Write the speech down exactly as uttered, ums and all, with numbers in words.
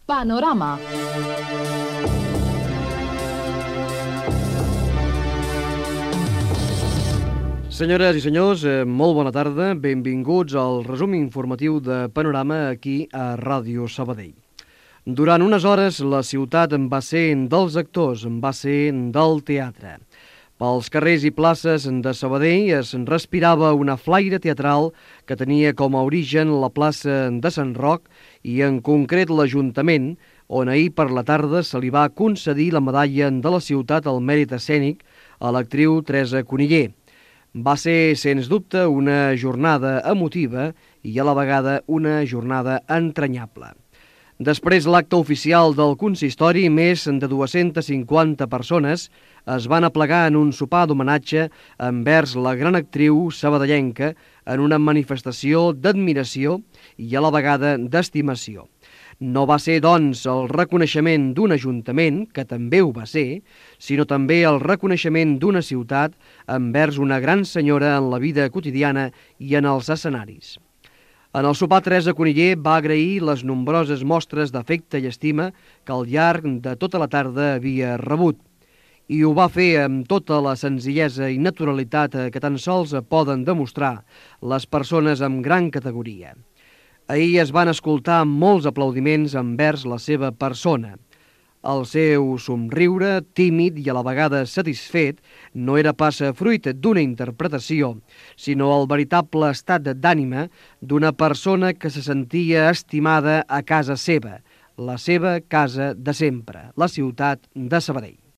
Panorama. Senyores i senyors, eh, molt bona tarda. Benvinguts al resum informatiu de Panorama aquí a Ràdio Sabadell. Durant unes hores la ciutat en va ser dels actors, en va ser del teatre. Pels carrers i places de Sabadell es respirava una flaire teatral que tenia com a origen la plaça de Sant Roc i en concret l'Ajuntament, on ahir per la tarda se li va concedir la medalla de la ciutat al mèrit escènic a l'actriu Teresa Cunillé. Va ser, sens dubte, una jornada emotiva i a la vegada una jornada entranyable. Després l'acte oficial del consistori, més de dues-centes cinquanta persones es van aplegar en un sopar d'homenatge envers la gran actriu sabadellenca en una manifestació d'admiració i a la vegada d'estimació. No va ser, doncs, el reconeixement d'un ajuntament, que també ho va ser, sinó també el reconeixement d'una ciutat envers una gran senyora en la vida quotidiana i en els escenaris. En el sopar, Teresa Cunillé va agrair les nombroses mostres d'afecte i estima que al llarg de tota la tarda havia rebut. I ho va fer amb tota la senzillesa i naturalitat que tan sols poden demostrar les persones amb gran categoria. Ahir es van escoltar molts aplaudiments envers la seva persona. El seu somriure, tímid i a la vegada satisfet, no era pas fruit d'una interpretació, sinó el veritable estat d'ànima d'una persona que se sentia estimada a casa seva, la seva casa de sempre, la ciutat de Sabadell.